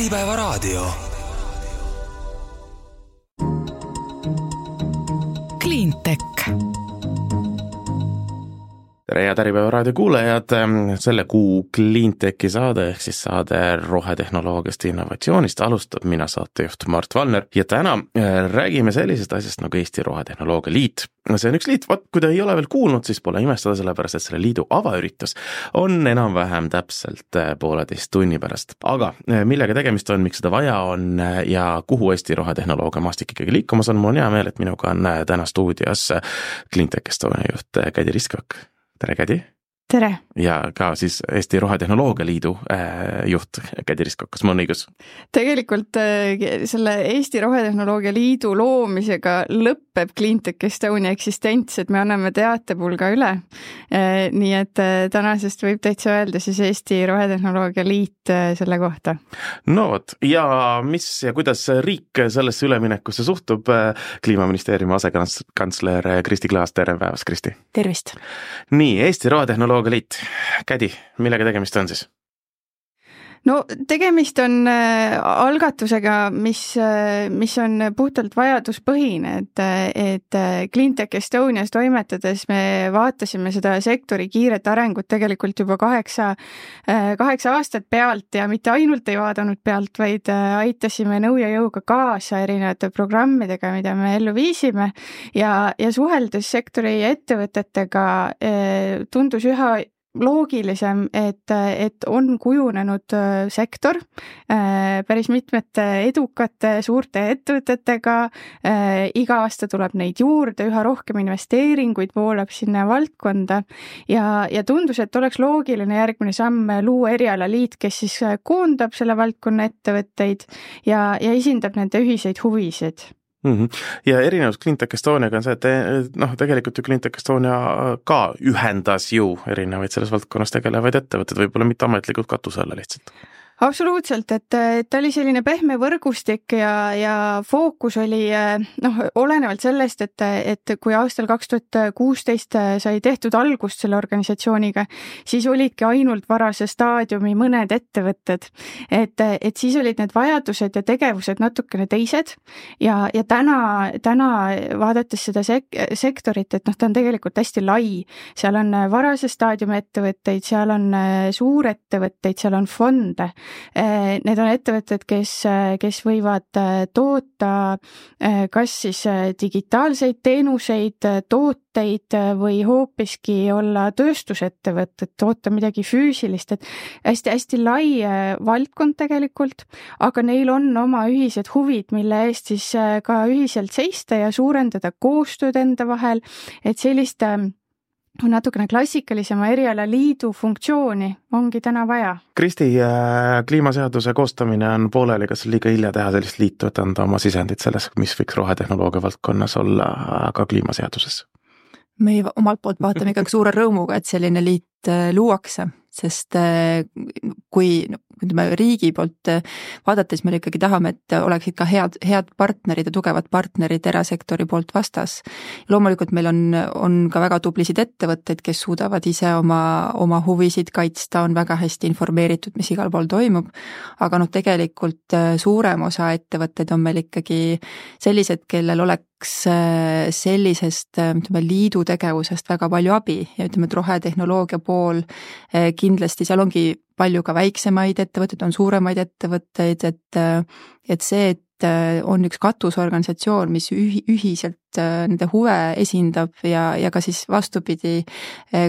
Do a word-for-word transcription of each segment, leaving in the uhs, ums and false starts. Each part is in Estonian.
Äripäevaraadio. Cleantech. Tere ja Äripäevaraadio kuulajad, selle kuu Cleantechi saade ehk siis saade rohetehnoloogiast ja innovatsioonist alustab mina saatejuht Mart Valner ja täna räägime sellisest asjast nagu Eesti Rohetehnoloogia Liit. See on üks liit, vaat kui te ei ole veel kuulnud, siis pole imestada, sellepärast et selle liidu avaüritus on enam-vähem täpselt pooleteist tunni pärast. Aga millega tegemist on, miks seda vaja on ja kuhu Eesti Rohetehnoloogia maastik ikkagi liikumas on, mul on hea meel, et minuga on täna stuudios Cleantech Estonia juht Kädi Riskak. Tere, Kädi! Tere! Ja ka siis Eesti Rohetehnoloogia Liidu äh, juht Kädi Riskak, kas ma on õigus? Tegelikult äh, selle Eesti Rohetehnoloogia Liidu loomisega lõpeb Cleantech Estonia eksistents, et me anname teatepulga üle. Äh, nii et äh, tänasest võib täitsa öelda siis Eesti Rohetehnoloogia Liit äh, selle kohta. No vot, ja mis ja kuidas riik sellesse üleminekusse suhtub? Kliimaministeeriumi asekantsler Kristi Klaas, tere päevast, Kristi! Tervist! Nii, Eesti Rohetehnoloogia Liit. Kädi, millega tegemist on siis? No tegemist on äh, algatusega, mis, äh, mis on puhtalt vajaduspõhine, et, et Cleantech Estonias toimetades me vaatasime seda sektori kiiret arengut tegelikult juba kaheksa, äh, kaheksa aastat pealt ja mitte ainult ei vaadanud pealt, vaid äh, aitasime nõu ja jõuga kaasa erinevate programmidega, mida me ellu viisime ja, ja suheldes sektori ettevõtetega äh, tundus üha loogilisem, et, et on kujunenud sektor päris mitmete edukate suurte ettevõtetega, iga aasta tuleb neid juurde, üha rohkem investeeringuid voolab sinna valdkonda ja, ja tundus, et oleks loogiline järgmine samm luua erialaliit, kes siis koondab selle valdkonna ettevõtteid ja, ja esindab nende ühiseid huvisid. Mm-hmm. Ja erinevus Cleantech Estoniaga on see, et noh, tegelikult ju Cleantech Estonia ka ühendas ju erinevaid selles valdkonnas tegelevaid ettevõtted, võib-olla mitte ametlikult katuse alla lihtsalt. Absoluutselt, et, et ta oli selline pehme võrgustik ja, ja fookus oli noh, olenevalt sellest, et, et kui aastal kaks tuhat kuusteist sai tehtud algust selle organisatsiooniga, siis olidki ainult varase staadiumi mõned ettevõtted. Et, et siis olid need vajadused ja tegevused natukene teised ja, ja täna, täna vaadates seda sek- sektorit, et noh, ta on tegelikult hästi lai. Seal on varase staadiumi ettevõtteid, seal on suurettevõtteid, seal on fonde. Need on ettevõtted, kes, kes võivad toota kas siis digitaalseid teenuseid, tooteid või hoopiski olla tööstusettevõtted, toota midagi füüsilist, et hästi-hästi lai valdkond tegelikult, aga neil on oma ühised huvid, mille eest siis ka ühiselt seista ja suurendada koostööd enda vahel, et sellist on natukene klassikalisema erialaliidu funktsiooni ongi täna vaja. Kristi, kliimaseaduse koostamine on pooleli, kas liiga hilja teha sellist liitu, et anda oma sisendit selles, mis võiks rohetehnoloogia valdkonnas olla ka kliimaseaduses? Me omalt poolt vaatame ikkagi suure rõõmuga, et selline liit luuakse, sest kui ütleme, riigi poolt vaadates me ikkagi tahame, et oleksid ka head, head partnerid ja tugevad partnerid erasektori poolt vastas. Loomulikult meil on, on ka väga tublisid ettevõtteid, kes suudavad ise oma, oma huvisid kaitsta, on väga hästi informeeritud, mis igal pool toimub, aga noh, tegelikult suurem osa ettevõtteid on meil ikkagi sellised, kellel oleks sellisest ütleme, liidu tegevusest väga palju abi ja ütleme, et rohetehnoloogia pool kindlasti seal ongi palju ka väiksemaid ettevõtteid, on suuremaid ettevõtteid, et, et see, et on üks katusorganisatsioon, mis ühi, ühiselt nende huve esindab ja, ja ka siis vastupidi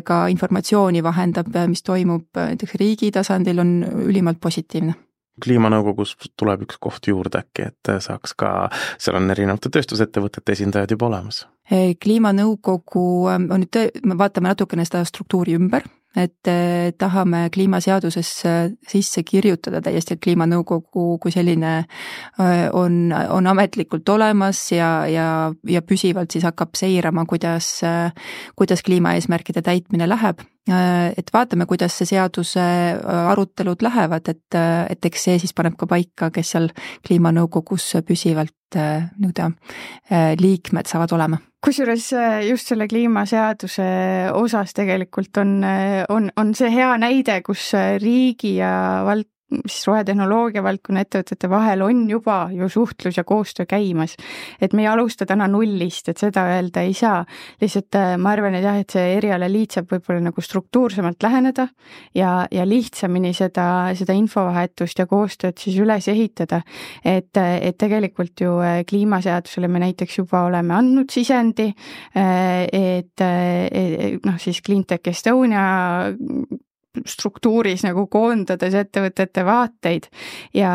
ka informatsiooni vahendab, mis toimub näiteks riigi tasandil, on ülimalt positiivne. Kliimanõukogus tuleb üks koht juurde äkki, et saaks ka, seal on erinevate tööstusettevõtete esindajad juba olemas. Kliimanõukogu on nüüd, me vaatame natukene seda struktuuri ümber, et tahame kliimaseaduses sisse kirjutada täiesti, et kliimanõukogu kui selline on, on ametlikult olemas ja, ja, ja püsivalt siis hakkab seirama, kuidas, kuidas kliimaeesmärkide täitmine läheb. Et vaatame, kuidas see seaduse arutelud lähevad, et, et eks see siis paneb ka paika, kes seal kliimanõukogus püsivalt nii-öelda liikmed saavad olema. Kusjuures just selle kliimaseaduse osas tegelikult on, on, on see hea näide, kus riigi ja vald, siis rohetehnoloogia valdkonna ettevõtete vahel on juba ju suhtlus ja koostöö käimas. Et me ei alusta täna nullist, et seda öelda ei saa. Lihtsalt ma arvan, et jah, et see erialaliit saab võib-olla nagu struktuursemalt läheneda ja, ja lihtsamini seda, seda infovahetust ja koostööd siis üles ehitada. Et, et tegelikult ju kliimaseadusele me näiteks juba oleme andnud sisendi, et, et noh, siis Cleantech Estonia struktuuris nagu koondades ettevõtete vaateid ja,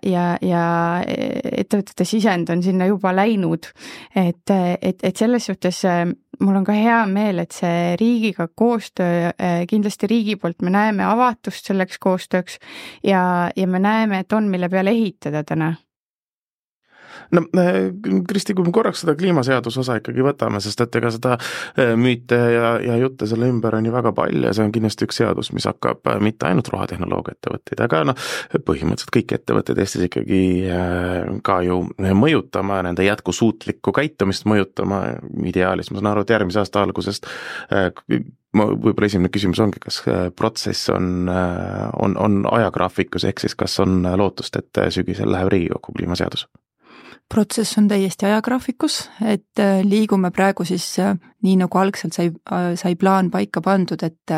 ja, ja ettevõtete sisend on sinna juba läinud. Et, et, et selles suhtes mul on ka hea meel, et see riigiga koostöö, kindlasti riigi poolt me näeme avatust selleks koostööks ja, ja me näeme, et on mille peale ehitada täna. No Kristi, kui me korraks seda kliimaseaduse osa ikkagi võtame, sest et ega seda müüte ja, ja jutte selle ümber on ju väga palju ja see on kindlasti üks seadus, mis hakkab mitte ainult rohetehnoloogia ettevõtteid, aga no, põhimõtteliselt kõik ettevõtted Eestis ikkagi ka ju mõjutama, nende jätkusuutlikku käitumist mõjutama ideaalis. Ma saan aru, et järgmise aasta algusest ma võib-olla esimene küsimus ongi, kas protsess on, on, on ajagraafikus, ehk siis kas on lootust, et sügisel läheb Riigikokku kliimaseadus? Protsess on täiesti ajagraafikus, et liigume praegu siis nii nagu algselt sai, sai plaan paika pandud, et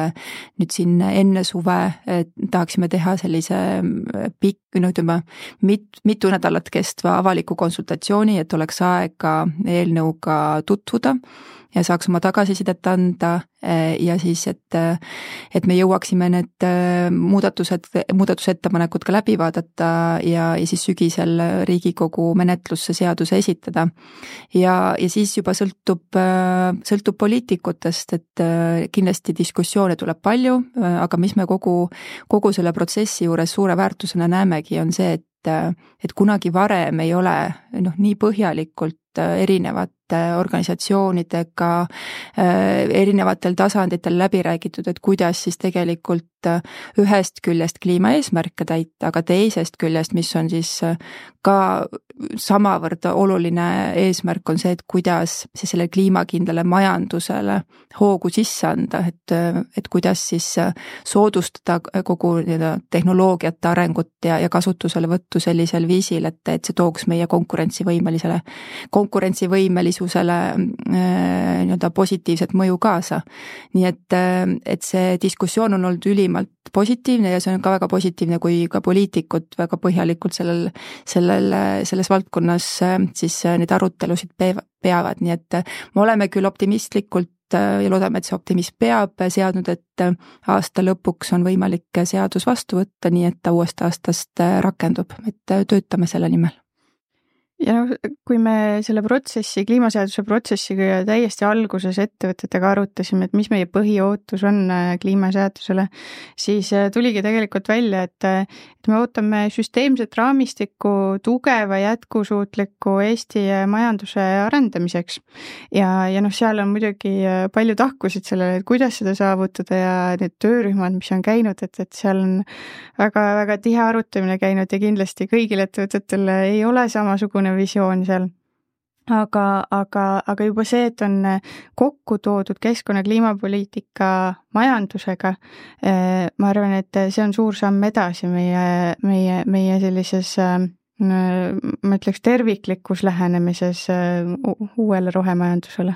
nüüd siin enne suve tahaksime teha sellise pikk, no ütleme, mit, mitu nädalat kestva avaliku konsultatsiooni, et oleks aega eelnõuga tutvuda ja saaks oma tagasisidet anda ja siis, et, et me jõuaksime need muudatused, muudatusettepanekud ka läbi vaadata ja, ja siis sügisel Riigikogu menetlusse seaduse esitada. Ja, ja siis juba sõltub, sõltub poliitikutest, et kindlasti diskussioone tuleb palju, aga mis me kogu, kogu selle protsessi juures suure väärtusena näemegi, on see, et, et kunagi varem ei ole noh, nii põhjalikult erinevate organisatsioonidega erinevatel tasanditel läbi räägitud, et kuidas siis tegelikult ühest küljest kliimaeesmärke täita, aga teisest küljest, mis on siis ka samavõrd oluline eesmärk, on see, et kuidas siis selle kliimakindlale majandusele hoogu sisse anda, et, et kuidas siis soodustada kogu tehnoloogiate arengut ja, ja kasutusele võttu sellisel viisil, et, et see tooks meie konkurentsivõimelisele, konkurentsivõimelisusele nii-öelda positiivset mõju kaasa. Nii et, et see diskussioon on olnud ülimalt positiivne ja see on ka väga positiivne, kui ka poliitikud väga põhjalikult sellel, sellel, selles valdkonnas siis neid arutelusid peavad, nii et me oleme küll optimistlikult ja loodame, et see optimism peab seadnud, et aasta lõpuks on võimalik seadus vastu võtta, nii et ta uuest aastast rakendub, et töötame selle nimel. Ja noh, kui me selle protsessi, kliimaseaduse protsessiga täiesti alguses ettevõtetega arutasime, et mis meie põhiootus on kliimaseadusele, siis tuligi tegelikult välja, et, et me ootame süsteemset raamistikku tugeva jätkusuutliku Eesti majanduse arendamiseks. Ja, ja noh, seal on muidugi palju tahkusid sellele, et kuidas seda saavutada ja need töörühmad, mis on käinud, et, et seal on väga, väga tihe arutamine käinud ja kindlasti kõigil ettevõtetel ei ole samasugune visioon seal. Aga, aga, aga juba see, et on kokku toodud keskkonna kliimapoliitika majandusega, ma arvan, et see on suur samm edasi meie, meie, meie sellises, ma ütleks, terviklikus lähenemises uuele rohemajandusele.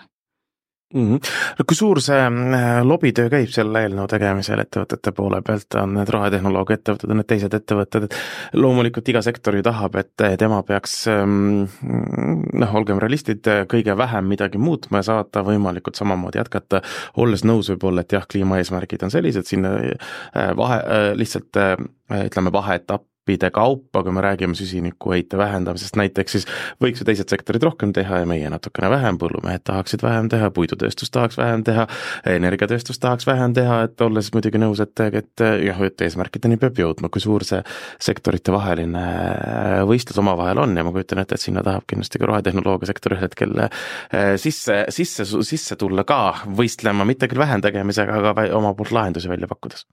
Mm-hmm. Kui suur see lobitöö käib selle eelnõu tegemisel ettevõtete poole pealt, on need rohetehnoloogia ettevõtted, on need teised ettevõtted, et loomulikult iga sektor ju tahab, et tema peaks, noh, olgem realistid, kõige vähem midagi muutma ja saata võimalikult samamoodi jätkata, olles nõus võib-olla, et jah, kliimaeesmärgid on sellised, sinna vahe, lihtsalt ütleme vaheetapp, kaupa, kui me räägime süsinikuheite vähendamisest näiteks, siis võiks ju teised sektorid rohkem teha ja meie natukene vähem, põllumehed tahaksid vähem teha, puidutööstus tahaks vähem teha, energiatööstus tahaks vähem teha, et olles muidugi nõus, et, et jah, et eesmärkideni peab jõudma, kui suur see sektorite vaheline võistlus omavahel on ja ma kujutan ette, et sinna tahab kindlasti ka rohetehnoloogia sektor ühel hetkel sisse, sisse, sisse tulla ka võistlema, mitte küll vähem tegemisega, aga oma poolt lahendusi välja pakkudes.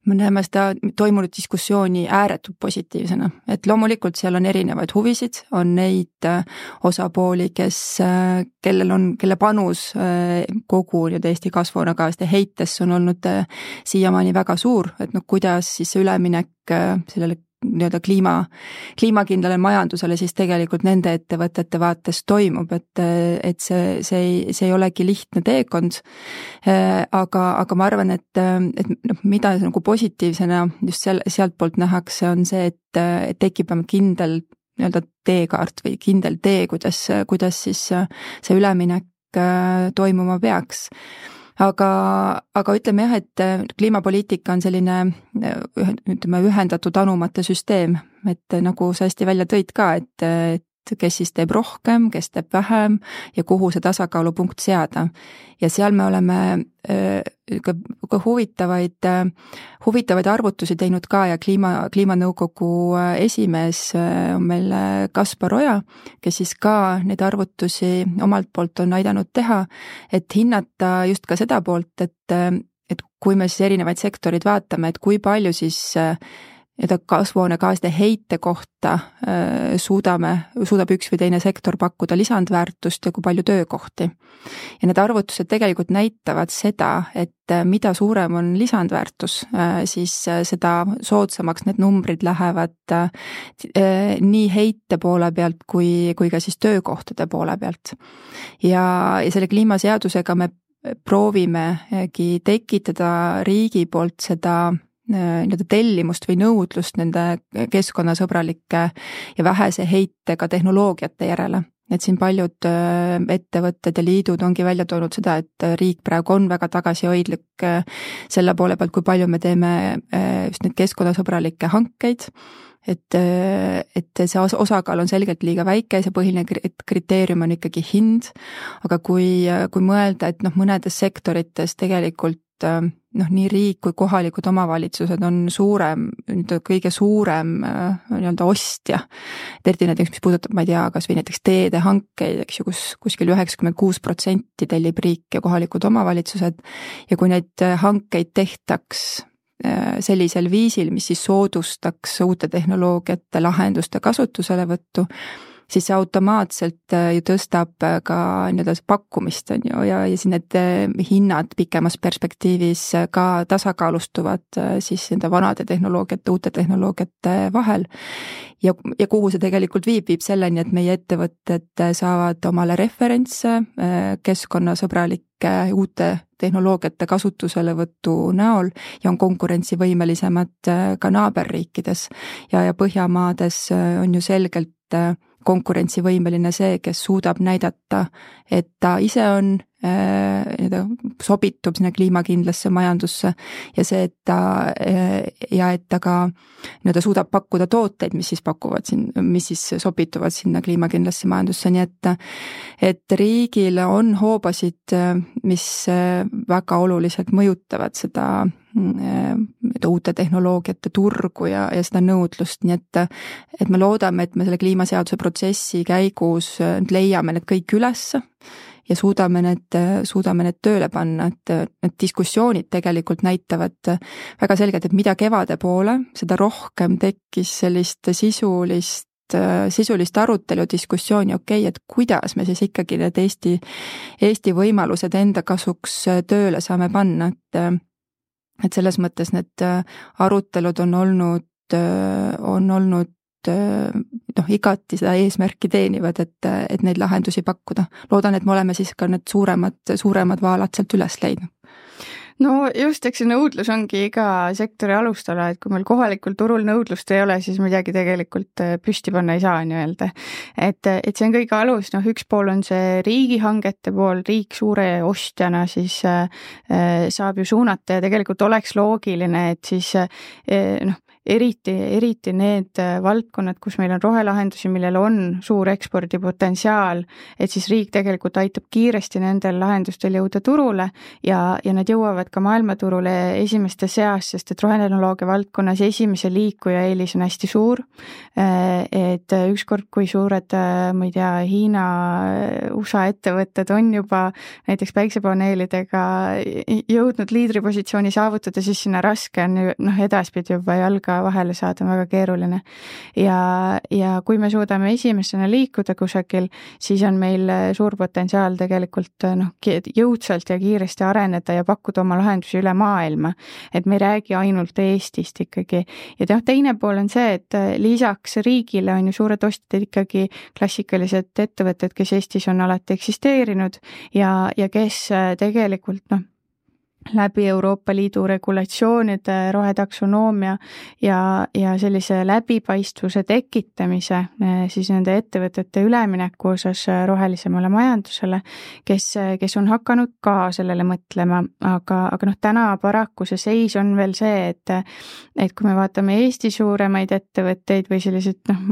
me näeme seda toimunud diskussiooni ääretult positiivsena, et loomulikult seal on erinevaid huvisid, on neid osapooli, kes, kellel on, kelle panus kogu nüüd Eesti kasvuhoonegaaside heitesse on olnud siiamaani väga suur, et noh, kuidas siis see üleminek sellele nii-öelda kliima, kliimakindlale majandusele siis tegelikult nende ettevõtete vaates toimub, et, et see, see ei, see ei olegi lihtne teekond. Aga, aga ma arvan, et, et noh, mida nagu positiivsena just seal, sealt poolt nähakse, on see, et, et tekib kindel nii-öelda teekaart või kindel tee, kuidas, kuidas siis see üleminek toimuma peaks. Aga, aga ütleme jah, et kliimapoliitika on selline ütleme, ühendatud anumate süsteem, et nagu sa hästi välja tõid ka, et, et kes siis teeb rohkem, kes teeb vähem ja kuhu see tasakaalupunkt seada. Ja seal me oleme ka, ka huvitavaid, huvitavaid arvutusi teinud ka ja kliima, kliimanõukogu esimees on meil Kaspar Oja, kes siis ka neid arvutusi omalt poolt on aidanud teha, et hinnata just ka seda poolt, et, et kui me siis erinevaid sektorid vaatame, et kui palju siis ja kasvuhoonegaaside heite kohta suudame, suudab üks või teine sektor pakkuda lisandväärtust ja kui palju töökohti. Ja need arvutused tegelikult näitavad seda, et mida suurem on lisandväärtus, siis seda soodsamaks need numbrid lähevad nii heite poole pealt kui, kui ka siis töökohtade poole pealt. Ja, ja selle kliimaseadusega me proovimegi tekitada riigi poolt seda nii-öelda tellimust või nõudlust nende keskkonnasõbralike ja vähese heitega tehnoloogiate järele. Et siin paljud ettevõtted ja liidud ongi välja toonud seda, et riik praegu on väga tagasihoidlik selle poole pealt, kui palju me teeme just neid keskkonnasõbralikke hankeid, et, et see osakaal on selgelt liiga väike, see põhiline kriteerium on ikkagi hind, aga kui, kui mõelda, et noh, mõnedes sektorites tegelikult noh, nii riik kui kohalikud omavalitsused on suurem, kõige suurem nii-öelda ostja. Eriti näiteks, mis puudutab, ma ei tea, kas või näiteks teede hankeid, eks ju, kus kuskil üheksakümmend kuus protsenti tellib riik ja kohalikud omavalitsused ja kui neid hankeid tehtaks sellisel viisil, mis siis soodustaks uute tehnoloogiate lahenduste kasutuselevõttu, siis see automaatselt ju tõstab ka nii-öelda pakkumist on ju, ja, ja siin need hinnad pikemas perspektiivis ka tasakaalustuvad siis nende vanade tehnoloogiate, uute tehnoloogiate vahel. Ja, ja kuhu see tegelikult viib, viib selleni, et meie ettevõtted saavad omale referentse keskkonnasõbralike uute tehnoloogiate kasutuselevõtu näol ja on konkurentsivõimelisemad ka naaberriikides. Ja, ja Põhjamaades on ju selgelt konkurentsivõimeline see, kes suudab näidata, et ta ise on äh, sobitub sinna kliimakindlasse majandusse ja see, et ta ja et ta ka nii-öelda suudab pakkuda tooteid, mis siis pakuvad siin, mis siis sobituvad sinna kliimakindlasse majandusse, nii et et riigil on hoobasid, mis väga oluliselt mõjutavad seda uute tehnoloogiate turgu ja, ja seda nõudlust, nii et et me loodame, et me selle kliimaseaduse protsessi käigus leiame need kõik üles ja suudame need, suudame need tööle panna, et need diskussioonid tegelikult näitavad väga selgelt, et mida kevade poole, seda rohkem tekkis sellist sisulist sisulist arutelu, diskussiooni, okei, okay, et kuidas me siis ikkagi need Eesti, Eesti võimalused enda kasuks tööle saame panna, et et selles mõttes need arutelud on olnud, on olnud noh, igati seda eesmärki teenivad, et, et neid lahendusi pakkuda. Loodan, et me oleme siis ka need suuremad, suuremad vaalad sealt üles leidnud. No just, eks see nõudlus ongi iga sektori alustala, et kui meil kohalikul turul nõudlust ei ole, siis midagi tegelikult püsti panna ei saa nii-öelda. Et, et see on kõige alus, noh üks pool on see riigihangete pool, riik suure ostjana siis äh, saab ju suunata ja tegelikult oleks loogiline, et siis äh, noh, eriti, eriti need valdkonnad, kus meil on rohelahendusi, millel on suur ekspordipotentsiaal, et siis riik tegelikult aitab kiiresti nendel lahendustel jõuda turule ja, ja nad jõuavad ka maailmaturule esimeste seas, sest et rohetehnoloogia valdkonnas esimese liikuja eelis on hästi suur. Et ükskord, kui suured, ma ei tea, Hiina, U S A ettevõtted on juba näiteks päiksepaneelidega jõudnud liidripositsiooni saavutada, siis sinna raske on noh, edaspidi juba jalga vahele saada, on väga keeruline. Ja, ja kui me suudame esimesena liikuda kusagil, siis on meil suur potentsiaal tegelikult noh, jõudsalt ja kiiresti areneda ja pakkuda oma lahendusi üle maailma. Et me ei räägi ainult Eestist ikkagi. Ja noh, teine pool on see, et lisaks riigile on ju suured ostjad ikkagi klassikalised ettevõtted, kes Eestis on alati eksisteerinud ja, ja kes tegelikult noh, läbi Euroopa Liidu regulatsioonide, rohetaksonoomia ja, ja sellise läbipaistvuse tekitamise siis nende ettevõtete ülemineku osas rohelisemale majandusele, kes, kes on hakanud ka sellele mõtlema, aga, aga noh, täna paraku see seis on veel see, et, et kui me vaatame Eesti suuremaid ettevõtteid või selliseid noh,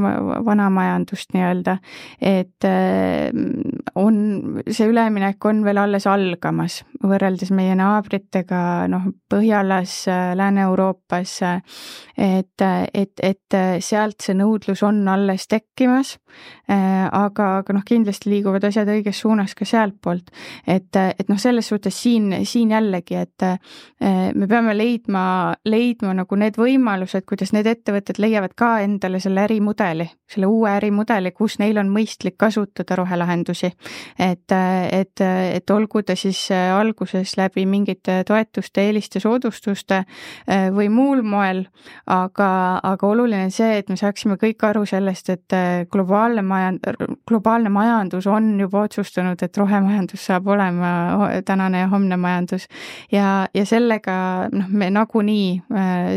vana majandust nii-öelda, et on, see üleminek on veel alles algamas võrreldes meie naabrid noh, Põhjalas, Lääne-Euroopas, et, et, et sealt see nõudlus on alles tekkimas, aga, aga noh, kindlasti liiguvad asjad õiges suunas ka sealt poolt. Et, et noh, selles suhtes siin, siin jällegi, et me peame leidma, leidma nagu need võimalused, kuidas need ettevõtted leiavad ka endale selle ärimudeli, selle uue ärimudeli, kus neil on mõistlik kasutada rohelahendusi. Et, et, et olgu ta siis alguses läbi mingite toetuste, eeliste, soodustuste või muul moel, aga, aga oluline on see, et me saaksime kõik aru sellest, et globaalne majand, globaalne majandus on juba otsustanud, et rohemajandus saab olema tänane ja homne majandus ja, ja sellega noh, me nagunii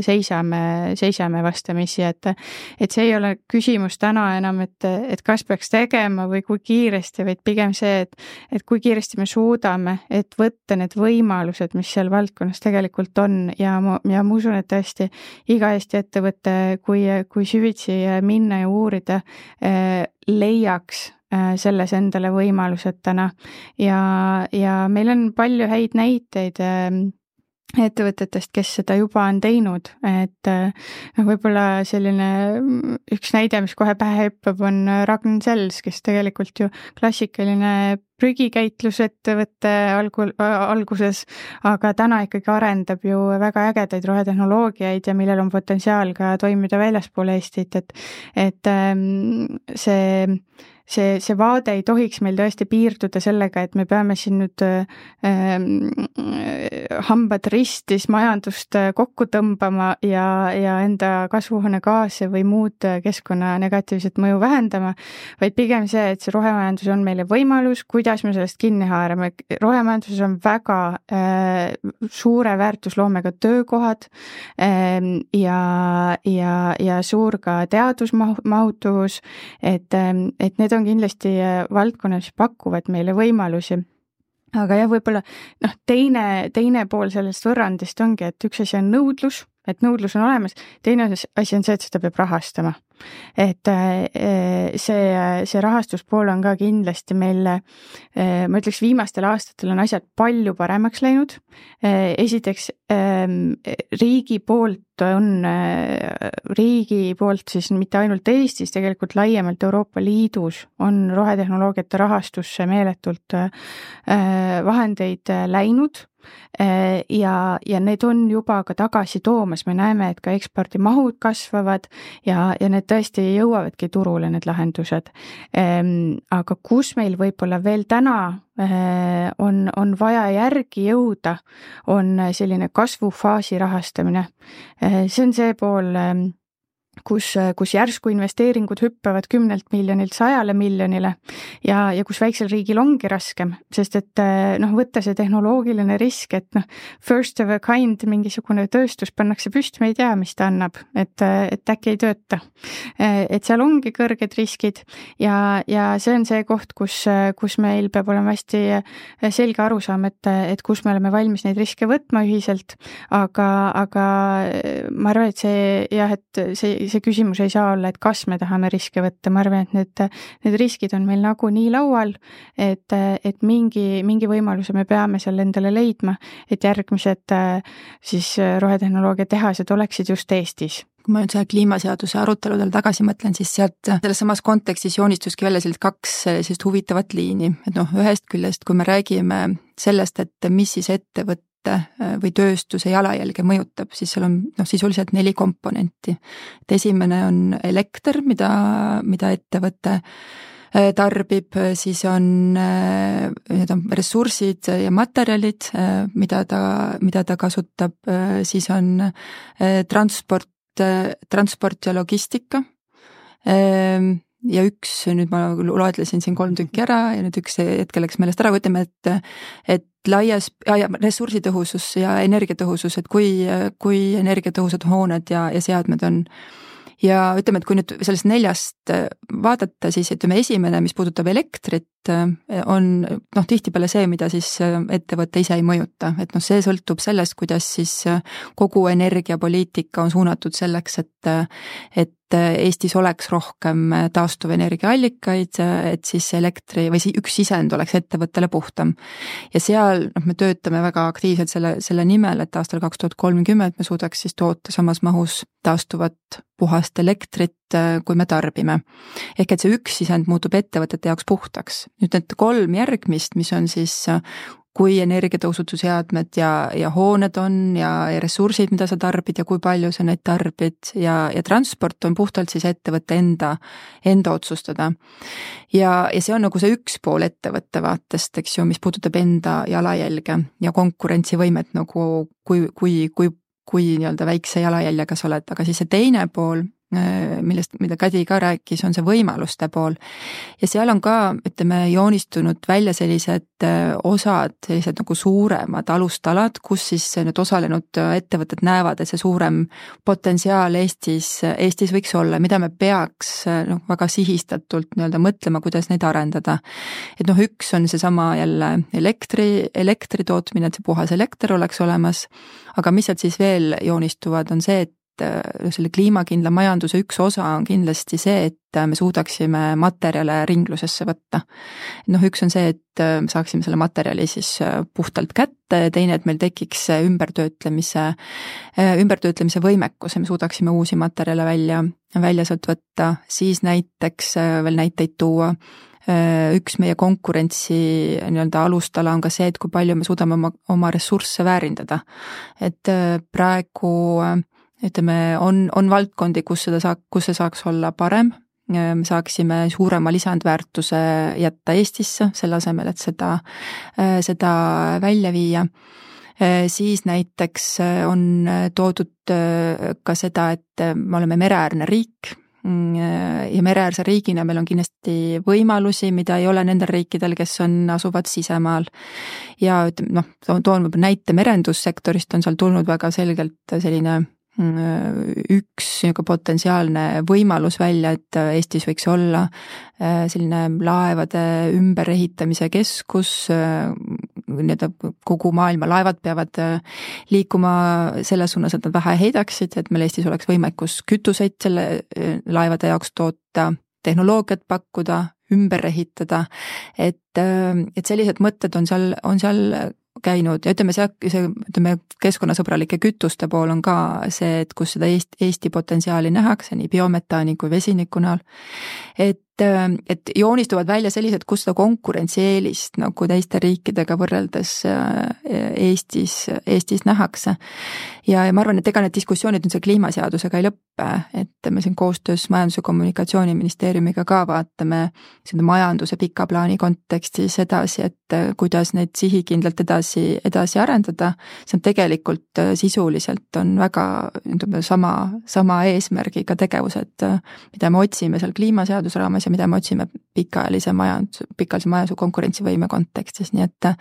seisame, seisame vastamisi, et, et see ei ole küsimus täna enam, et, et kas peaks tegema või kui kiiresti, vaid pigem see, et, et kui kiiresti me suudame, et võtta need võimalused, mis seal valdkonnas tegelikult on ja ma, ja ma usun, et tõesti iga Eesti ettevõte, kui, kui süvitsi minna ja uurida, leiaks selles endale võimalused täna ja, ja meil on palju häid näiteid ettevõtetest, kes seda juba on teinud, et noh, võib-olla selline üks näide, mis kohe pähe hüppab, on Ragn Sells, kes tegelikult ju klassikaline prügikäitlusettevõtte algu, alguses, aga täna ikkagi arendab ju väga ägedaid rohetehnoloogiaid ja millel on potentsiaal ka toimida väljaspool Eestit, et, et see See, see vaade ei tohiks meil tõesti piirduda sellega, et me peame siin nüüd äh, hambad ristis majandust kokku tõmbama ja, ja enda kasvuhoonegaase või muud keskkonna negatiivset mõju vähendama, vaid pigem see, et see rohemajandus on meile võimalus, kuidas me sellest kinni haarame. Rohemajanduses on väga äh, suure väärtusloomega töökohad äh, ja, ja, ja suur ka teadusmahutuvus, et, et need on kindlasti valdkonnas pakuvad meile võimalusi. Aga jah, võib-olla noh, teine, teine pool sellest võrrandist ongi, et üks asi on nõudlus, et nõudlus on olemas, teine asi on see, et seda peab rahastama. Et see, see rahastuspool on ka kindlasti meil, ma ütleks, viimastel aastatel on asjad palju paremaks läinud. Esiteks riigi poolt on, riigi poolt siis mitte ainult Eestis, tegelikult laiemalt Euroopa Liidus on rohetehnoloogiate rahastusse meeletult vahendeid läinud. Ja, ja need on juba ka tagasi toomas, me näeme, et ka ekspordimahud kasvavad ja, ja need tõesti jõuavadki turule, need lahendused. Aga kus meil võib-olla veel täna on, on vaja järgi jõuda, on selline kasvufaasi rahastamine. See on see pool, kus, kus järsku investeeringud hüppavad kümnelt miljonilt sajale miljonile ja, ja kus väiksel riigil ongi raskem, sest et noh, võtta see tehnoloogiline risk, et noh, first of a kind mingisugune tööstus pannakse püsti, me ei tea, mis ta annab, et, et äkki ei tööta. Et seal ongi kõrged riskid ja, ja see on see koht, kus, kus meil peab olema hästi selge arusaam, et, et kus me oleme valmis neid riske võtma ühiselt, aga, aga ma arvan, et see jah, et see see küsimus ei saa olla, et kas me tahame riske võtta, ma arvan, et need, need riskid on meil nagu nii laual, et, et mingi, mingi võimaluse me peame seal endale leidma, et järgmised siis rohetehnoloogia tehased oleksid just Eestis. Kui ma nüüd selle kliimaseaduse aruteludel tagasi mõtlen, siis sealt selles samas kontekstis joonistuski välja sellised kaks sellist huvitavat liini, et noh, ühest küljest, kui me räägime sellest, et mis siis ettevõtte või tööstuse jalajälge mõjutab, siis seal on noh, sisuliselt neli komponenti. Et esimene on elekter, mida, mida ettevõte tarbib, siis on need on ressursid ja materjalid, mida ta, mida ta kasutab, siis on transport, transport ja logistika. Ja üks, nüüd ma loetlesin siin kolm tükki ära ja nüüd üks hetkel läks meelest ära, kui ütleme, et, et laias ja, ja ressursitõhusus ja energiatõhusus, et kui, kui energiatõhusad hooned ja, ja seadmed on. Ja ütleme, et kui nüüd sellest neljast vaadata, siis ütleme esimene, mis puudutab elektrit, on noh, tihtipeale see, mida siis ettevõte ise ei mõjuta, et noh, see sõltub sellest, kuidas siis kogu energiapoliitika on suunatud selleks, et, et Eestis oleks rohkem taastuvenergiaallikaid, et siis elektri või üks sisend oleks ettevõttele puhtam. Ja seal noh, me töötame väga aktiivselt selle, selle nimel, et aastal kaks tuhat kolmkümmend me suudaks siis toota samas mahus taastuvat puhast elektrit, kui me tarbime. Ehk et see üks sisend muutub ettevõtete jaoks puhtaks. Nüüd need kolm järgmist, mis on siis kui energiatõusutusseadmed ja, ja hooned on ja, ja ressursid, mida sa tarbid ja kui palju sa neid tarbid ja, ja transport on puhtalt siis ettevõtte enda, enda otsustada. Ja, ja see on nagu see üks pool ettevõtte vaatest, eks ju, mis puudutab enda jalajälge ja konkurentsivõimet nagu kui, kui, kui, kui nii-öelda väikse jalajäljega sa oled, aga siis see teine pool, millest, mida Kadi ka rääkis, on see võimaluste pool. Ja seal on ka, ütleme, joonistunud välja sellised osad, sellised nagu suuremad alustalad, kus siis need osalenud ettevõtted näevad, et see suurem potentsiaal Eestis, Eestis võiks olla, mida me peaks noh, väga sihistatult nii-öelda mõtlema, kuidas neid arendada. Et noh, üks on seesama jälle elektri, elektri tootmine, et see puhas elekter oleks olemas, aga mis sealt siis veel joonistuvad, on see, et selle kliimakindla majanduse üks osa on kindlasti see, et me suudaksime materjale ringlusesse võtta. Noh, üks on see, et me saaksime selle materjali siis puhtalt kätte, teine, et meil tekiks ümbertöötlemise, ümbertöötlemise võimekus ja me suudaksime uusi materjale välja, välja sealt võtta, siis näiteks veel näiteid tuua. Üks meie konkurentsi nii-öelda alustala on ka see, et kui palju me suudame oma, oma ressursse väärindada. Et praegu ütleme, on, on valdkondi, kus seda saak, kus see saaks olla parem. Me saaksime suurema lisandväärtuse jätta Eestisse, selle asemel, et seda, seda välja viia. Siis näiteks on toodud ka seda, et me oleme mereäärne riik ja mereäärse riigina meil on kindlasti võimalusi, mida ei ole nendel riikidel, kes on, asuvad sisemaal. Ja noh, toon näite merendussektorist on seal tulnud väga selgelt selline üks potentsiaalne võimalus välja, et Eestis võiks olla selline laevade ümberehitamise keskus, kogu maailma laevad peavad liikuma selles suunas, et nad vähe heidaksid, et meil Eestis oleks võimekus kütuseid selle laevade jaoks toota, tehnoloogiat pakkuda, ümber ehitada, et, et sellised mõtted on seal, on seal käinud ja ütleme, see, see ütleme, keskkonnasõbralike kütuste pool on ka see, et kus seda Eesti, Eesti potentsiaali nähakse nii biometaani kui vesiniku näol. Et et joonistuvad välja sellised, kus seda konkurentsieelist nagu teiste riikidega võrreldes Eestis, Eestis nähakse. Ja, ja ma arvan, et ega need diskussioonid nüüd see kliimaseadusega ei lõppe, et me siin koostöös Majandus- ja Kommunikatsiooniministeeriumiga ka vaatame seda majanduse pika plaani kontekstis edasi, et kuidas neid sihikindlalt edasi, edasi arendada. See on tegelikult sisuliselt on väga sama, sama eesmärgiga tegevused, mida me otsime seal kliimaseaduse raames ja mida me otsime pikaajalise majandus, pikaajalise majanduse konkurentsivõime kontekstis, nii et,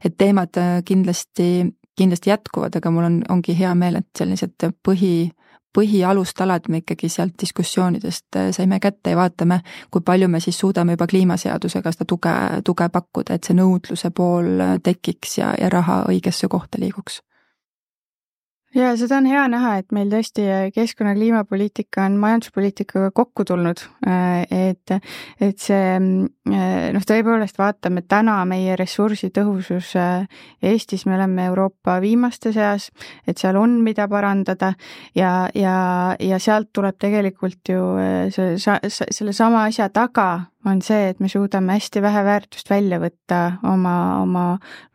et teemad kindlasti, kindlasti jätkuvad, aga mul on, ongi hea meel, et sellised põhi, põhialustalad me ikkagi sealt diskussioonidest saime kätte ja vaatame, kui palju me siis suudame juba kliimaseadusega seda tuge, tuge pakkuda, et see nõudluse pool tekiks ja, ja raha õigesse kohta liiguks. Ja seda on hea näha, et meil tõesti keskkonna kliimapoliitika on majanduspoliitikaga kokku tulnud, et, et see, noh, tõepoolest vaatame täna meie ressursitõhusus Eestis, me oleme Euroopa viimaste seas, et seal on mida parandada ja, ja, ja sealt tuleb tegelikult ju see, selle sama asja taga on see, et me suudame hästi vähe väärtust välja võtta oma, oma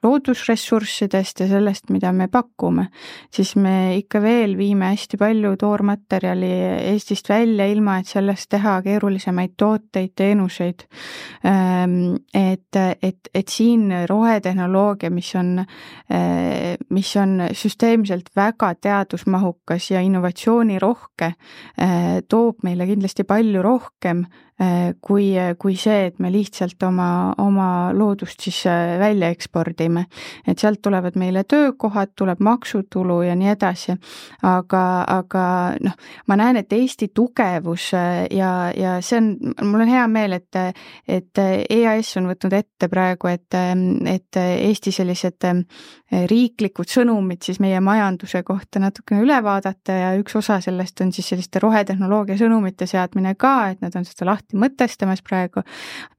loodusressurssidest ja sellest, mida me pakume, siis me ikka veel viime hästi palju toormaterjali Eestist välja, ilma et sellest teha keerulisemaid tooteid, teenuseid. Et, et, et siin rohetehnoloogia, mis on, mis on süsteemselt väga teadusmahukas ja innovatsioonirohke, toob meile kindlasti palju rohkem kui, kui see, et me lihtsalt oma, oma loodust siis välja ekspordime. Et sealt tulevad meile töökohad, tuleb maksutulu ja nii edasi. Aga, aga noh, ma näen, et Eesti tugevus ja, ja see on, mul on hea meel, et, et E A S on võtnud ette praegu, et, et Eesti sellised riiklikud sõnumid siis meie majanduse kohta natukene üle vaadata ja üks osa sellest on siis selliste rohetehnoloogia sõnumite seadmine ka, et nad on seda lahti mõtestamas praegu,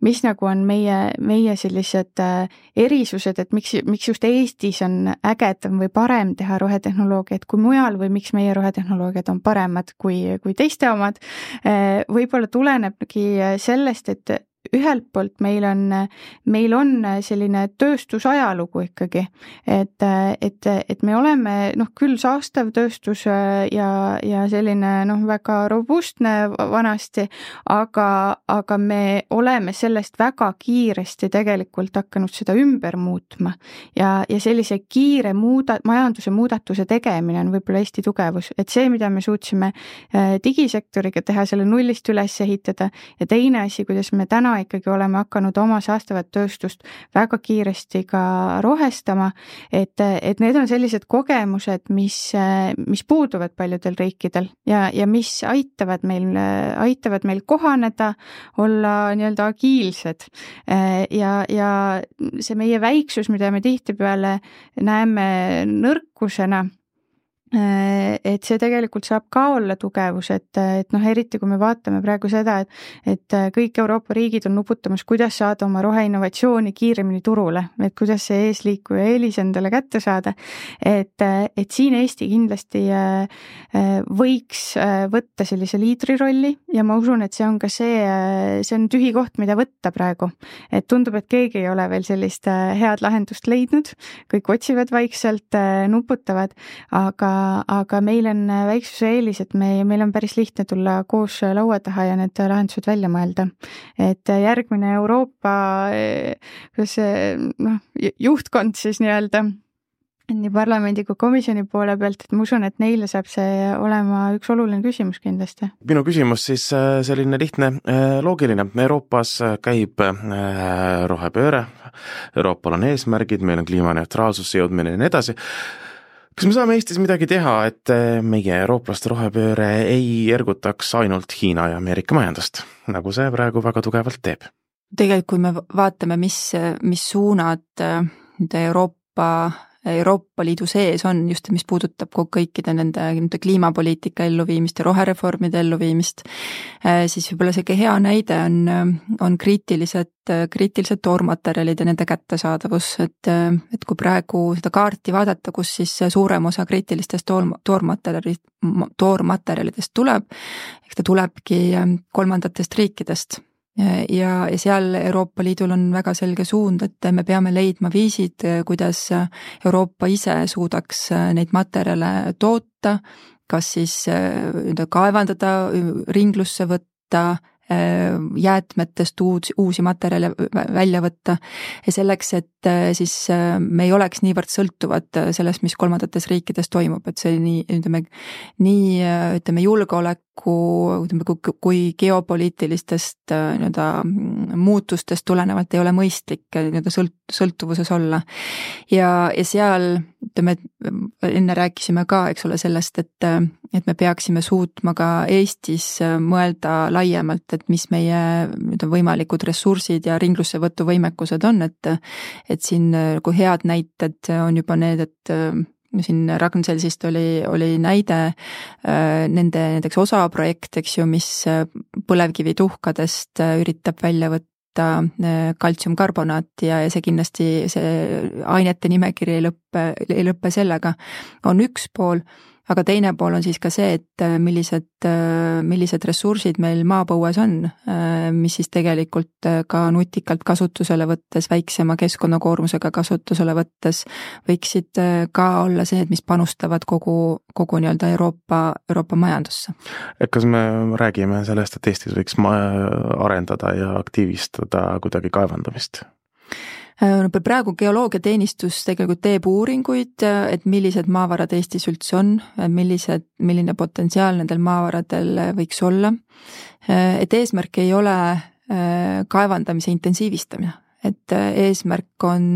mis nagu on meie, meie sellised erisused, et miks, miks just Eestis on ägedam või parem teha rohetehnoloogiat kui mujal või miks meie rohetehnoloogiad on paremad kui, kui teiste omad. Võib-olla tulenebki sellest, et ühelt poolt meil on, meil on selline tööstusajalugu ikkagi, et, et, et me oleme noh, küll saastav tööstus ja, ja selline noh, väga robustne vanasti, aga, aga me oleme sellest väga kiiresti tegelikult hakanud seda ümber muutma ja, ja sellise kiire muuda, majanduse muudatuse tegemine on võib-olla Eesti tugevus, et see, mida me suutsime digisektoriga teha, selle nullist üles ehitada ja teine asi, kuidas me täna ikkagi oleme hakanud oma saastavat tööstust väga kiiresti ka rohestama, et, et need on sellised kogemused, mis, mis puuduvad paljudel riikidel ja, ja mis aitavad meil, aitavad meil kohaneda, olla nii-öelda agiilsed ja, ja see meie väiksus, mida me tihtipeale näeme nõrkusena, et see tegelikult saab ka olla tugevus, et, et noh, eriti kui me vaatame praegu seda, et, et kõik Euroopa riigid on nuputamas, kuidas saada oma roheinnovatsiooni kiiremini turule, et kuidas see eesliikuja eelis endale kätte saada, et, et siin Eesti kindlasti võiks võtta sellise liidri rolli ja ma usun, et see on ka see, see on tühi koht, mida võtta praegu, et tundub, et keegi ei ole veel sellist head lahendust leidnud, kõik otsivad vaikselt, nuputavad, aga aga meil on väiksuse eelis, et me, meil on päris lihtne tulla koos laua taha ja need lahendused välja mõelda. Et järgmine Euroopa kuidas noh, juhtkond siis nii-öelda nii parlamendi kui komisjoni poole pealt, et ma usun, et neile saab see olema üks oluline küsimus kindlasti. Minu küsimus siis selline lihtne, loogiline. Euroopas käib rohepööre, Euroopal on eesmärgid, meil on kliimaneutraalsus, jõudmine ja nii edasi. Kas me saame Eestis midagi teha, et meie eurooplaste rohepööre ei ergutaks ainult Hiina ja Ameerika majandust, nagu see praegu väga tugevalt teeb? Tegelikult, kui me vaatame, mis, mis suunad Euroopa, Euroopa Liidu sees on, just mis puudutab kõikide nende, nende kliimapoliitika elluviimist ja rohereformide elluviimist, siis võib-olla see hea näide on, on kriitilised, kriitilised toormaterjalid ja nende kättesaadavus, et, et kui praegu seda kaarti vaadata, kus siis suurem osa kriitilistest toormaterjalidest, toormaterjalidest tuleb, eks ta tulebki kolmandatest riikidest. ja, ja seal Euroopa Liidul on väga selge suund, et me peame leidma viisid, kuidas Euroopa ise suudaks neid materjale toota, kas siis kaevandada, ringlusse võtta, jäätmetest uus, uusi materjale välja võtta ja selleks, et siis me ei oleks niivõrd sõltuvad sellest, mis kolmandates riikides toimub, et see nii, ütleme, nii, ütleme, julgeoleku, ütleme, kui geopoliitilistest nii-öelda muutustest tulenevalt ei ole mõistlik nii-öelda sõlt, sõltuvuses olla. Ja, ja seal, ütleme, enne rääkisime ka, eks ole, sellest, et, et me peaksime suutma ka Eestis mõelda laiemalt, et mis meie võimalikud ressursid ja ringlussevõtu võimekused on, et, et siin kui head näited on juba need, et siin Ragn-Sellsist oli, oli näide nende näiteks osa projekt, eks ju, mis põlevkivituhkadest üritab välja võtta kaltsiumkarbonaat ja see kindlasti, see ainete nimekiri ei lõppe, ei lõppe sellega, on üks pool, aga teine pool on siis ka see, et millised, millised ressursid meil maapõues on, mis siis tegelikult ka nutikalt kasutusele võttes, väiksema keskkonnakoormusega kasutusele võttes võiksid ka olla see, et mis panustavad kogu, kogu nii-öelda Euroopa, Euroopa majandusse. Kas me räägime sellest, et Eestis võiks arendada ja aktiivistada kuidagi kaevandamist? No praegu geoloogiateenistus tegelikult teeb uuringuid, et millised maavarad Eestis üldse on, millised, milline potentsiaal nendel maavaradel võiks olla. Et eesmärk ei ole kaevandamise intensiivistamine, et eesmärk on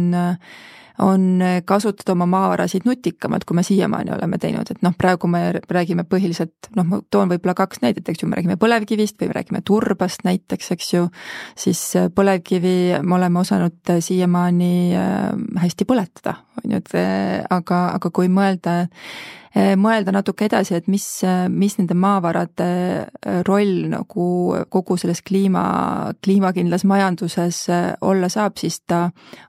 on kasutada oma maavarasid nutikamalt, kui me siiamaani oleme teinud, et noh, praegu me räägime põhiliselt, noh, ma toon võib-olla kaks näidet, eks ju, me räägime põlevkivist või me räägime turbast näiteks, eks ju, siis põlevkivi me oleme osanud siiamaani hästi põletada, on ju, et aga, aga kui mõelda, mõelda natuke edasi, et mis, mis nende maavarade roll nagu kogu selles kliima, kliimakindlas majanduses olla saab, siis ta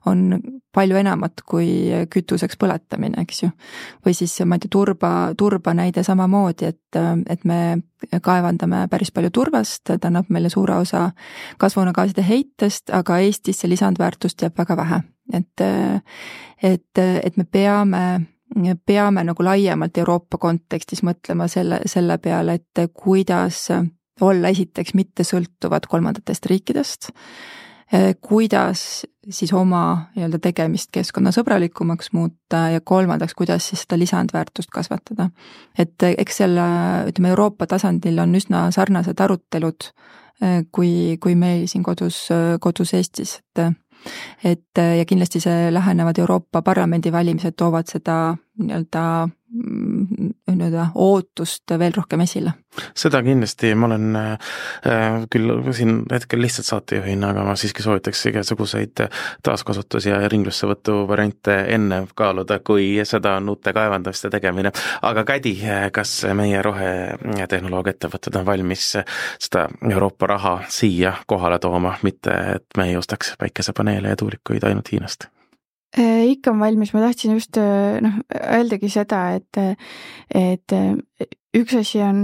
on palju enamat kui kütuseks põletamine, eks ju. Või siis ma ei tea, turba, turba näide samamoodi, et, et me kaevandame päris palju turbast, ta annab meile suure osa kasvuhoonegaaside heitest, aga Eestis see lisandväärtust jääb väga vähe. Et, et, et me peame peame nagu laiemalt Euroopa kontekstis mõtlema selle, selle peale, et kuidas olla esiteks mitte sõltuvad kolmandatest riikidest, kuidas siis oma nii-öelda tegemist keskkonnasõbralikumaks muuta ja kolmandaks, kuidas siis seda lisandväärtust kasvatada. Et eks selle, ütleme, Euroopa tasandil on üsna sarnased arutelud kui, kui meil siin kodus, kodus Eestis, et et ja kindlasti see lähenevad Euroopa Parlamendi valimised toovad seda nii-öelda, nii-öelda ootust veel rohkem esile. Seda kindlasti, ma olen äh, küll siin hetkel lihtsalt saatejuhina, aga ma siiski soovitaks igasuguseid taaskasutus- ja ringlussevõtu variante enne kaaluda, kui seda on uute kaevandamiste tegemine. Aga Kädi, kas meie rohetehnoloogia ettevõtted on valmis seda Euroopa raha siia kohale tooma, mitte et me ei ostaks päikesepaneele ja tuulikuid ainult Hiinast? Ikka on valmis, ma tahtsin just noh, öeldagi seda, et, et üks asi on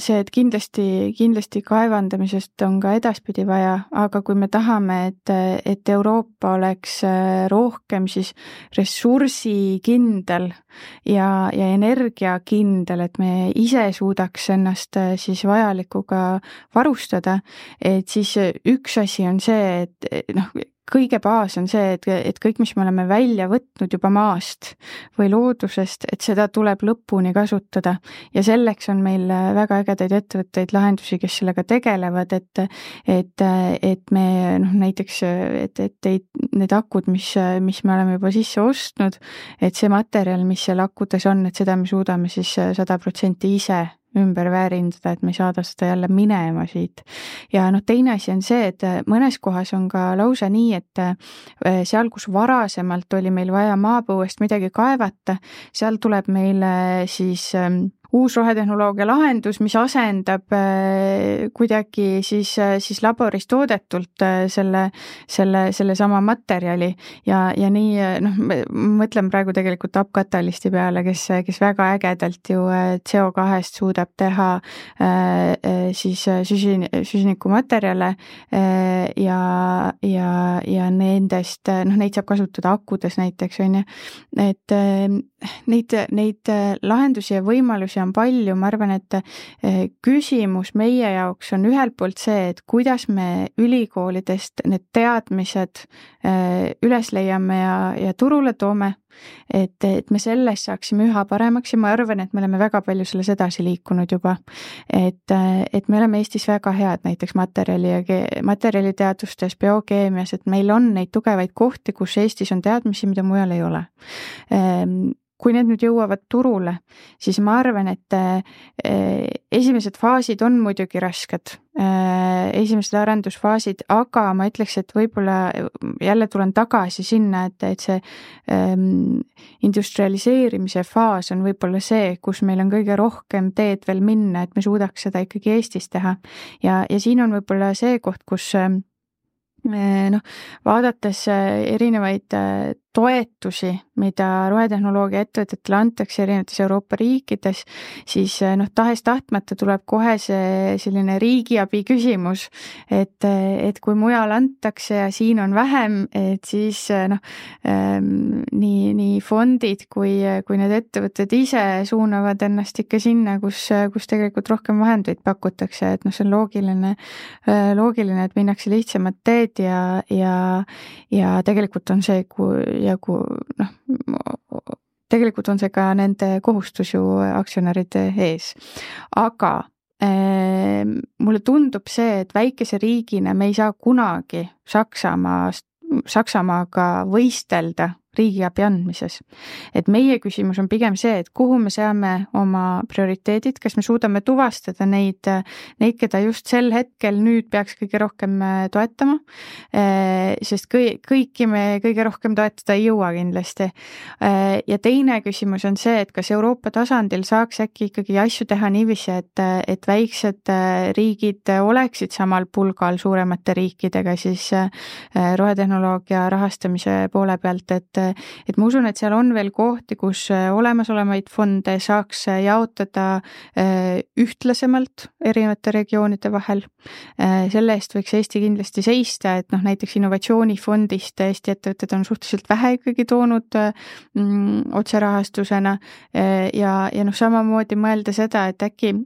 see, et kindlasti, kindlasti kaevandamisest on ka edaspidi vaja, aga kui me tahame, et, et Euroopa oleks rohkem siis ressursikindel ja, ja energiakindel, et me ise suudaks ennast siis vajalikuga varustada, et siis üks asi on see, et noh, kõige baas on see, et, et kõik, mis me oleme välja võtnud juba maast või loodusest, et seda tuleb lõpuni kasutada ja selleks on meil väga ägedaid ettevõtteid, lahendusi, kes sellega tegelevad, et, et, et me noh, näiteks, et, et need akud, mis, mis me oleme juba sisse ostnud, et see materjal, mis seal akudes on, et seda me suudame siis sada protsenti ise ümber väärindada, et me ei saada seda jälle minema siit. Ja noh, teine asi on see, et mõnes kohas on ka lausa nii, et seal, kus varasemalt oli meil vaja maapõuest midagi kaevata, seal tuleb meile siis uus rohetehnoloogia lahendus, mis asendab kuidagi siis, siis laboris toodetult selle, selle, selle sama materjali ja, ja nii, noh, mõtlen praegu tegelikult Upcatalysti peale, kes, kes väga ägedalt ju C O kahest suudab teha siis süsin, süsinikumaterjale ja, ja, ja nendest, noh, neid saab kasutada akudes näiteks, on ju, et neid, neid lahendusi ja võimalusi on palju, ma arvan, et küsimus meie jaoks on ühelt poolt see, et kuidas me ülikoolidest need teadmised üles leiame ja, ja turule toome, et, et me selles saaksime üha paremaks ja ma arvan, et me oleme väga palju selles edasi liikunud juba. Et, et me oleme Eestis väga head näiteks materjali ja materjaliteadustes, biokeemias, et meil on neid tugevaid kohti, kus Eestis on teadmisi, mida mujal ei ole. Kui need nüüd jõuavad turule, siis ma arvan, et esimesed faasid on muidugi rasked, esimesed arendusfaasid, aga ma ütleks, et võib-olla jälle tulen tagasi sinna, et, et see industrialiseerimise faas on võib-olla see, kus meil on kõige rohkem teed veel minna, et me suudaks seda ikkagi Eestis teha. Ja, ja siin on võib-olla see koht, kus noh, vaadates erinevaid toetusi, mida rohetehnoloogia ettevõtetele antakse erinevates Euroopa riikides, siis noh, tahes tahtmata tuleb kohe see selline riigiabi küsimus, et, et kui mujal antakse ja siin on vähem, et siis noh, nii, nii fondid kui, kui need ettevõtted ise suunavad ennast ikka sinna, kus, kus tegelikult rohkem vahendeid pakutakse, et noh, see on loogiline, loogiline, et minnakse lihtsamat teed ja, ja, ja tegelikult on see, kui ja kui noh, tegelikult on see ka nende kohustus ju aktsionäride ees. Aga äh, mulle tundub see, et väikese riigina me ei saa kunagi Saksamaa, Saksamaaga võistelda riigiabi andmises. Et meie küsimus on pigem see, et kuhu me seame oma prioriteedid, kas me suudame tuvastada neid, neid, keda just sel hetkel nüüd peaks kõige rohkem toetama, sest kõi, kõiki me kõige rohkem toetada ei jõua kindlasti. Ja teine küsimus on see, et kas Euroopa tasandil saaks äkki ikkagi asju teha niiviisi, et, et väiksed riigid oleksid samal pulgal suuremate riikidega siis rohetehnoloogia rahastamise poole pealt, et et ma usun, et seal on veel kohti, kus olemasolevaid fonde saaks jaotada ühtlasemalt erinevate regioonide vahel. Selle eest võiks Eesti kindlasti seista, et noh, näiteks innovatsioonifondist Eesti ettevõtted on suhteliselt vähe ikkagi toonud mm, otserahastusena ja, ja noh, samamoodi mõelda seda, et äkki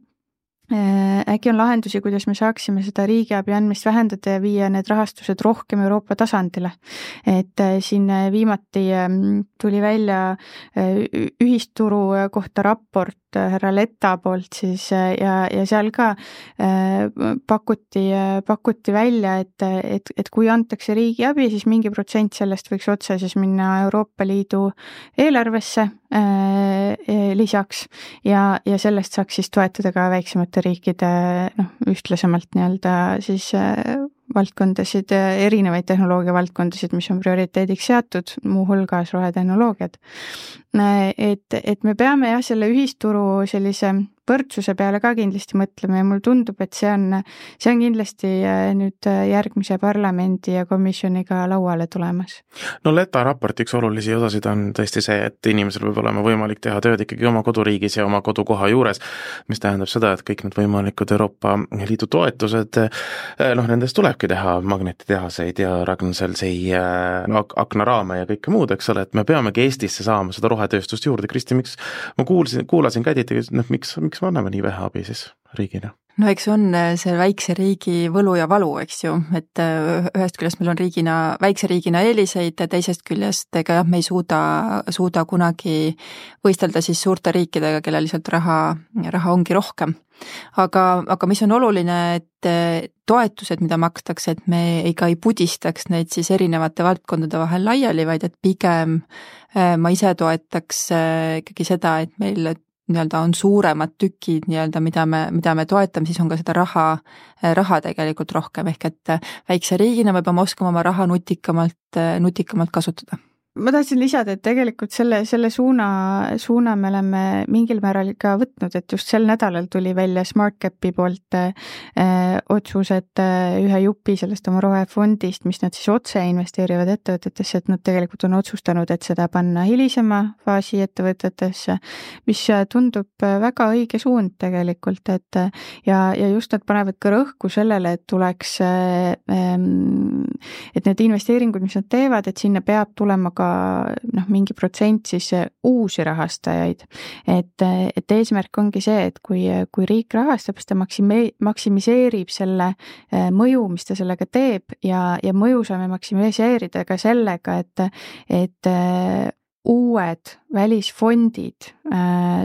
äkki on lahendusi, kuidas me saaksime seda riigiabi andmist vähendada ja viia need rahastused rohkem Euroopa tasandile. Et siin viimati tuli välja ühisturu kohta raport härra Letta poolt siis ja, ja seal ka pakuti, pakuti välja, et, et, et kui antakse riigiabi, siis mingi protsent sellest võiks otse siis minna Euroopa Liidu eelarvesse lisaks ja, ja sellest saaks siis toetada ka väiksemate riikide noh, ühtlasemalt nii-öelda siis valdkondasid, erinevaid tehnoloogia valdkondasid, mis on prioriteediks seatud, muuhulgas rohetehnoloogiad. Et, et me peame jah, selle ühisturu sellise võrdsuse peale ka kindlasti mõtlema ja mulle tundub, et see on, see on kindlasti nüüd järgmise parlamendi ja komisjoniga lauale tulemas. No Leta raporti üks olulisi osasid on tõesti see, et inimesel võib olema võimalik teha tööd ikkagi oma koduriigis ja oma kodukoha juures, mis tähendab seda, et kõik need võimalikud Euroopa Liidu toetused, noh, nendest tulebki teha magnetitehaseid ja Ragn-Sellsi aknaraame ja kõike muud, eks ole, et me peamegi Eestisse saama seda rohetööstust juurde. Kristi, miks ma kuulsin, kuulasin Kädit, noh, miks, miks me anname nii vähe abi siis riigina? No eks on see väikse riigi võlu ja valu, eks ju, et ühest küljest meil on riigina, väikse riigina eeliseid, teisest küljest ega jah, me ei suuda, suuda kunagi võistelda siis suurte riikidega, kellel lihtsalt raha, raha ongi rohkem. Aga, aga mis on oluline, et toetused, mida makstakse, et me ega ei pudistaks neid siis erinevate valdkondade vahel laiali, vaid et pigem ma ise toetaks ikkagi seda, et meil nii-öelda on suuremad tükid nii-öelda, mida me, mida me toetame, siis on ka seda raha, raha tegelikult rohkem, ehk et väikse riigina me peame oskama oma raha nutikamalt, nutikamalt kasutada. ma tahtsin lisada, et tegelikult selle, selle suuna, suuna me oleme mingil määral ka võtnud, et just sel nädalal tuli välja SmartCapi poolt äh, otsus, et äh, ühe jupi sellest oma rohefondist, mis nad siis otse investeerivad ettevõtetesse, et nad tegelikult on otsustanud, et seda panna hilisema faasi ettevõtetesse, mis tundub väga õige suund tegelikult, et ja, ja just nad panevad ka rõhku sellele, et tuleks äh, et need investeeringud, mis nad teevad, et sinna peab tulema ka noh, mingi protsent siis uusi rahastajaid. Et, et eesmärk ongi see, et kui, kui riik rahastab, siis ta maksime, maksimiseerib selle mõju, mis ta sellega teeb ja, ja mõju saame maksimiseerida ka sellega, et, et uued välisfondid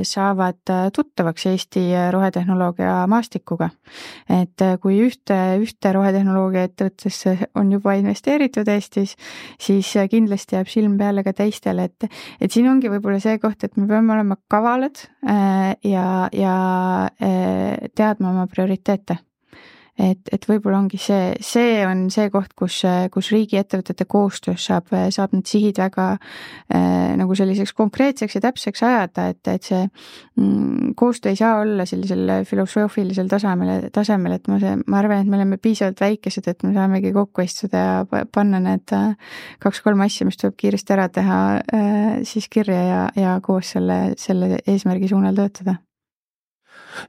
saavad tuttavaks Eesti rohetehnoloogia maastikuga. Et kui ühte, ühte rohetehnoloogia ettevõttesse on juba investeeritud Eestis, siis kindlasti jääb silm peale ka teistele, et, et siin ongi võib-olla see koht, et me peame olema kavalad ja, ja teadma oma prioriteete. Et, et võib-olla ongi see, see on see koht, kus, kus riigi ettevõtete koostöös saab, saab need sihid väga äh, nagu selliseks konkreetseks ja täpseks ajada, et, et see mm, koostöö ei saa olla sellisel filosoofilisel tasemel, tasemel, et ma, see, ma arvan, et me oleme piisavalt väikesed, et me saamegi kokku istuda ja panna need kaks-kolm asja, mis tuleb kiiresti ära teha, äh, siis kirja ja, ja koos selle, selle eesmärgi suunal töötada.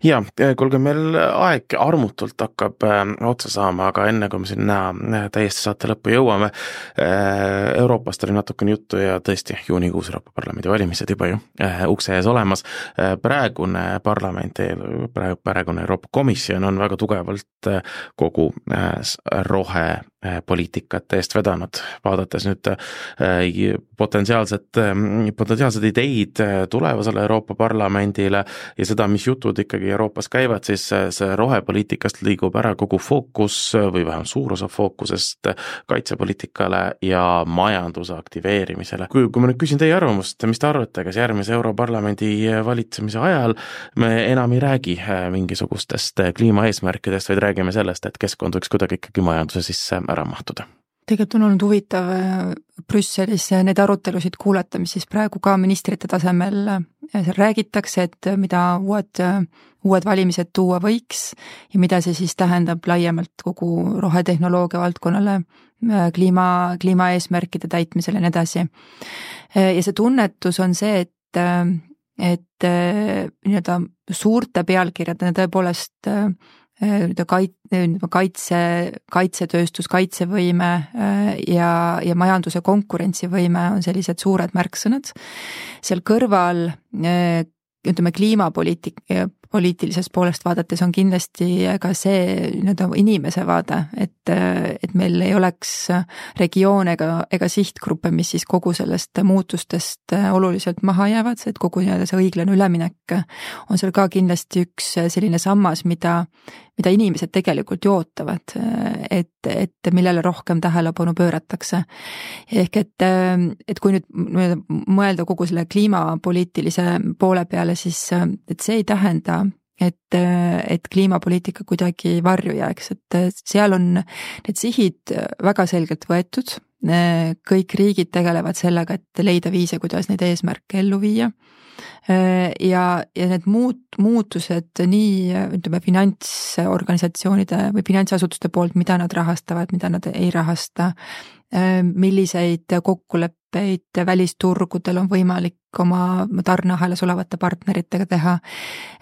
Ja, kuulge, meil aeg armutult hakkab äh, otsa saama, aga enne kui me sinna äh, täiesti saate lõppu jõuame, äh, Euroopast oli natukene juttu ja tõesti juunikuus Euroopa Parlamendi valimised juba ju äh, ukse ees olemas. Äh, praegune parlament, praegu, praegune Euroopa Komisjon on väga tugevalt äh, kogu äh, rohe poliitikat eest vedanud, vaadates nüüd potentsiaalset, potentsiaalsed ideid tulevasele Euroopa Parlamendile ja seda, mis jutud ikkagi Euroopas käivad, siis see rohepoliitikast liigub ära kogu fookus või vähem suur osa fookusest kaitsepoliitikale ja majanduse aktiveerimisele. Kui, kui ma nüüd küsin teie arvamust, mis te arvate, kas järgmise Europarlamendi valitsemise ajal me enam ei räägi mingisugustest kliimaeesmärkidest, vaid räägime sellest, et keskkond võiks kuidagi ikkagi majanduse sisse ära mahtuda? Tegelikult on olnud huvitav Brüsselis need arutelusid kuulata, mis siis praegu ka ministrite tasemel seal räägitakse, et mida uued, uued valimised tuua võiks ja mida see siis tähendab laiemalt kogu rohetehnoloogia valdkonnale, kliima, kliimaeesmärkide täitmisele ja nii edasi. Ja see tunnetus on see, et, et nii-öelda suurte pealkirjadena tõepoolest kaitse, kaitsetööstus, kaitsevõime ja, ja majanduse konkurentsivõime on sellised suured märksõnad. Seal kõrval, ütleme, kliimapoliitik, poliitilisest poolest vaadates on kindlasti ka see nii-öelda inimese vaade, et, et meil ei oleks regioone ega, ega sihtgruppe, mis siis kogu sellest muutustest oluliselt maha jäävad, et kogu nii-öelda see õiglane üleminek on seal ka kindlasti üks selline sammas, mida, mida inimesed tegelikult ju ootavad, et, et millele rohkem tähelepanu pööratakse. Ehk et, et kui nüüd mõelda kogu selle kliimapoliitilise poole peale, siis et see ei tähenda, et, et kliimapoliitika kuidagi varju jääks, et seal on need sihid väga selgelt võetud, kõik riigid tegelevad sellega, et leida viise, kuidas neid eesmärke ellu viia. Ja, ja need muut, muutused nii, ütleme, finantsorganisatsioonide või finantsasutuste poolt, mida nad rahastavad, mida nad ei rahasta, milliseid kokkuleppeid välisturgudel on võimalik oma tarneahelas olevate partneritega teha.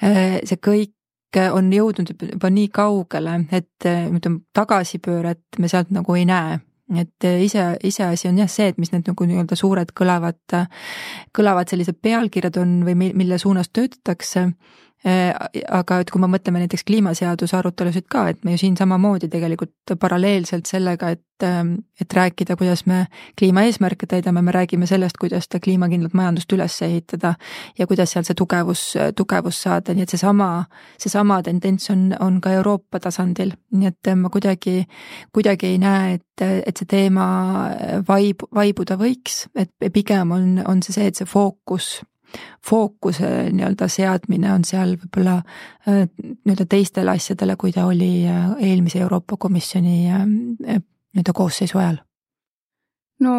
See kõik on jõudnud juba nii kaugele, et ütleme, tagasipööret me sealt nagu ei näe. Et ise, ise asi on jah see, et mis need nagu nii-öelda suured kõlavad, kõlavad sellised pealkirjad on või mille suunas töötatakse, aga et kui me mõtleme näiteks kliimaseaduse arutelusid ka, et me ju siin samamoodi tegelikult paralleelselt sellega, et, et rääkida, kuidas me kliimaeesmärke täidame, me räägime sellest, kuidas ta kliimakindlat majandust üles ehitada ja kuidas seal see tugevus, tugevus saada, nii et see sama, see sama tendents on, on ka Euroopa tasandil, nii et ma kuidagi, kuidagi ei näe, et, et see teema vaib, vaibuda võiks, et pigem on, on see see, et see fookus fookuse nii-öelda seadmine on seal võib-olla nii-öelda teistele asjadele, kui ta oli eelmise Euroopa Komisjoni nii-öelda koosseisu ajal. No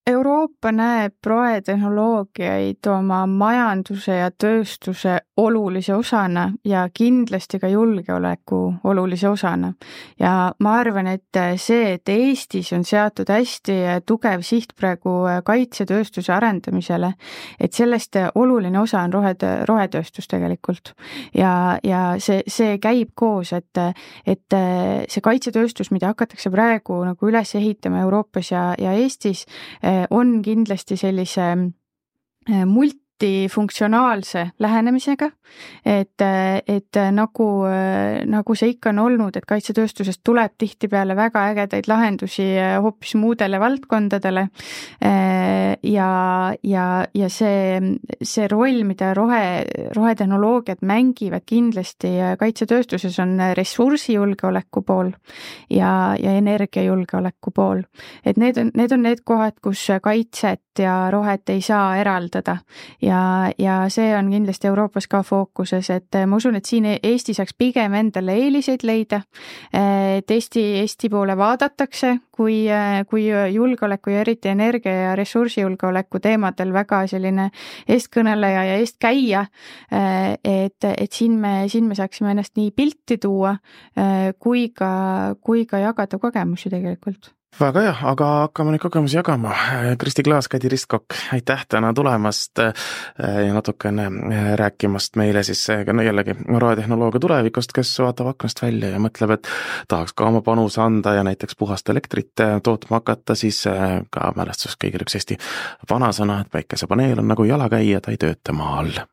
Euroopa näeb rohetehnoloogiaid oma majanduse ja tööstuse olulise osana ja kindlasti ka julgeoleku olulise osana. Ja ma arvan, et see, et Eestis on seatud hästi tugev siht praegu kaitsetööstuse arendamisele, et sellest oluline osa on rohe, rohetööstus tegelikult. Ja, ja see, see käib koos, et, et see kaitsetööstus, mida hakatakse praegu nagu üles ehitama Euroopas ja, ja Eestis, on kindlasti sellise multifunktsionaalse lähenemisega, et, et nagu, nagu see ikka on olnud, et kaitsetööstusest tuleb tihtipeale väga ägedaid lahendusi hoopis muudele valdkondadele ja, ja, ja see, see roll, mida rohe, rohetehnoloogiad mängivad kindlasti kaitsetööstuses on ressursijulgeoleku pool ja, ja energiajulgeoleku pool. Et need on, need on need kohad, kus kaitset ja rohet ei saa eraldada ja, ja see on kindlasti Euroopas ka fookuses, et ma usun, et siin Eesti saaks pigem endale eeliseid leida, et Eesti, Eesti poole vaadatakse, kui, kui julgeoleku ja eriti energia ja ressursijulgeoleku teemadel väga selline eestkõneleja ja eestkäija, et, et siin me, siin me saaksime ennast nii pilti tuua, kui ka, kui ka jagada kogemusi tegelikult. Väga hea, aga hakkame neid kogemusi jagama. Kristi Klaas, Kadi Ristkokk, aitäh täna tulemast ja natukene rääkimast meile siis no jällegi rohetehnoloogia tulevikust, kes vaatab aknast välja ja mõtleb, et tahaks ka oma panuse anda ja näiteks puhast elektrit tootma hakata, siis ka mälestus kõigil üks Eesti vanasõna, et päikesepaneel on nagu jalakäija, ta ei tööta maa all.